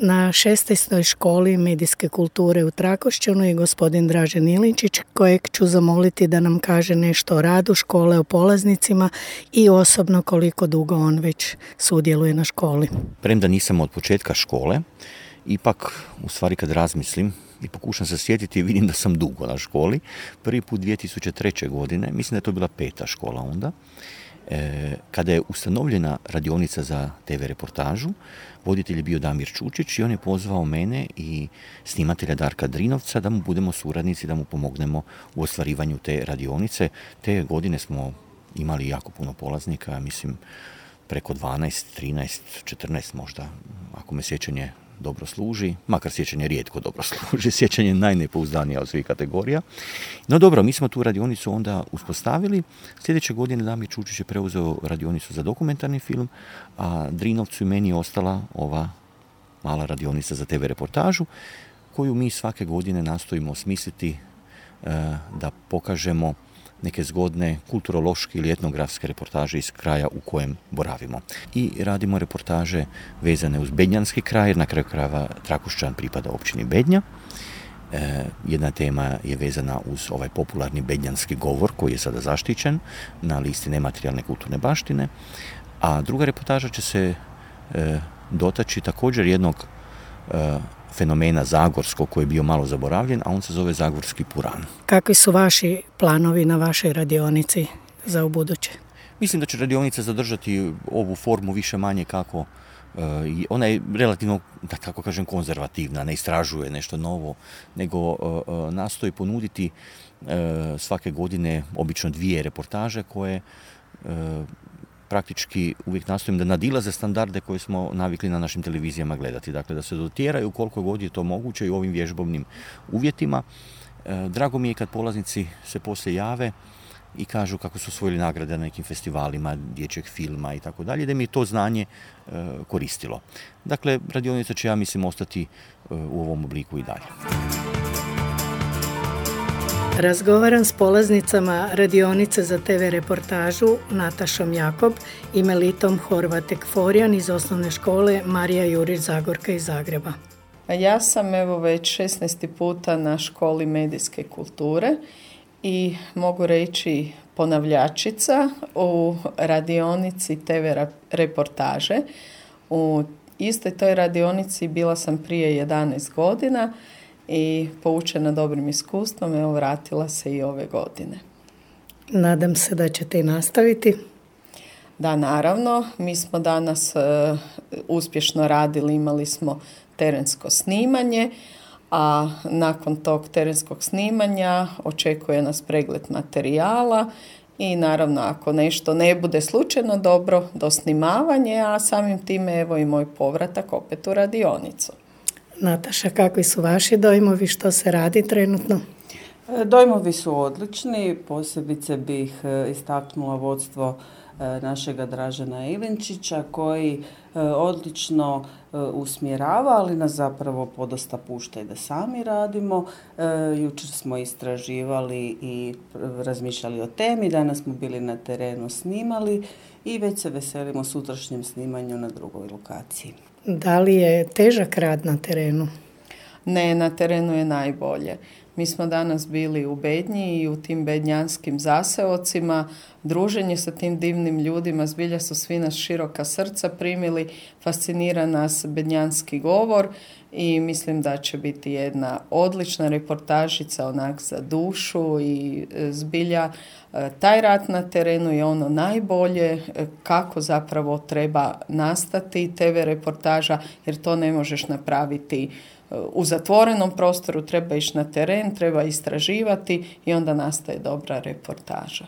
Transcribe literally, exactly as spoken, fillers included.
Na šesnaestoj školi medijske kulture u Trakošćanu je gospodin Dražen Ilinčić, kojeg ću zamoliti da nam kaže nešto o radu škole, o polaznicima i osobno koliko dugo on već sudjeluje na školi. Premda nisam od početka škole, ipak u stvari kad razmislim i pokušam se sjetiti, vidim da sam dugo na školi. Prvi put dvije tisuće treće. godine, mislim da je to bila peta škola onda, e, kada je ustanovljena radionica za te ve reportažu, voditelj je bio Damir Čučić i on je pozvao mene i snimatelja Darka Drinovca da mu budemo suradnici, da mu pomognemo u ostvarivanju te radionice. Te godine smo imali jako puno polaznika, mislim preko dvanaest, trinaest, četrnaest možda, ako me sjećanje dobro služi, makar sjećanje rijetko dobro služi, sjećanje je najnepouzdanija od svih kategorija. No dobro, mi smo tu radionicu onda uspostavili. Sljedeće godine Damir Čučić je preuzeo radionicu za dokumentarni film, a Drinovcu i meni je ostala ova mala radionica za te ve reportažu, koju mi svake godine nastojimo osmisliti da pokažemo neke zgodne kulturološke ili etnografske reportaže iz kraja u kojem boravimo. I radimo reportaže vezane uz bednjanski kraj, jer na kraju krajeva Trakošćan pripada općini Bednja. E, jedna tema je vezana uz ovaj popularni bednjanski govor koji je sada zaštićen na listi nematerijalne kulturne baštine, a druga reportaža će se e, dotaći također jednog e, fenomena zagorskog koji je bio malo zaboravljen, a on se zove Zagorski puran. Kakvi su vaši planovi na vašoj radionici za ubuduće? Mislim da će radionica zadržati ovu formu više manje kako uh, ona je relativno, da tako kažem, konzervativna, ne istražuje nešto novo, nego uh, uh, nastoji ponuditi uh, svake godine obično dvije reportaže koje uh, praktički uvijek nastojim da nadilaze standarde koje smo navikli na našim televizijama gledati. Dakle, da se dotjeraju koliko god je to moguće i u ovim vježbovnim uvjetima. E, drago mi je kad polaznici se poslije jave i kažu kako su osvojili nagrade na nekim festivalima, dječjeg filma i tako dalje, da mi je to znanje e, koristilo. Dakle, radionica će, ja mislim, ostati e, u ovom obliku i dalje. Razgovaram s polaznicama radionice za te ve reportažu Natašom Jakob i Melitom Horvatek-Forjan iz osnovne škole Marija Jurić Zagorka iz Zagreba. Ja sam evo već šesnaesti puta na školi medijske kulture i mogu reći ponavljačica u radionici te ve reportaže. U istoj toj radionici bila sam prije jedanaest godina i poučena dobrim iskustvom, evo vratila se i ove godine. Nadam se da ćete i nastaviti. Da, naravno. Mi smo danas uh, uspješno radili, imali smo terensko snimanje, a nakon tog terenskog snimanja očekuje nas pregled materijala i naravno ako nešto ne bude slučajno dobro, dosnimavanje, a samim time evo i moj povratak opet u radionicu. Nataša, kakvi su vaši dojmovi, što se radi trenutno? Dojmovi su odlični, posebice bih istaknula vodstvo našega Dražena Ilinčića koji odlično usmjerava, ali nas zapravo podosta pušta i da sami radimo. Jučer smo istraživali i razmišljali o temi, danas smo bili na terenu, snimali i već se veselimo sutrašnjem snimanju na drugoj lokaciji. Da li je težak rad na terenu? Ne, na terenu je najbolje. Mi smo danas bili u Bednji i u tim bednjanskim zaseocima. Druženje sa tim divnim ljudima, zbilja su svi nas široka srca primili, fascinira nas bednjanski govor i mislim da će biti jedna odlična reportažica onak za dušu i zbilja taj rad na terenu je ono najbolje kako zapravo treba nastati te ve reportaža, jer to ne možeš napraviti u zatvorenom prostoru, treba ići na teren, treba istraživati i onda nastaje dobra reportaža.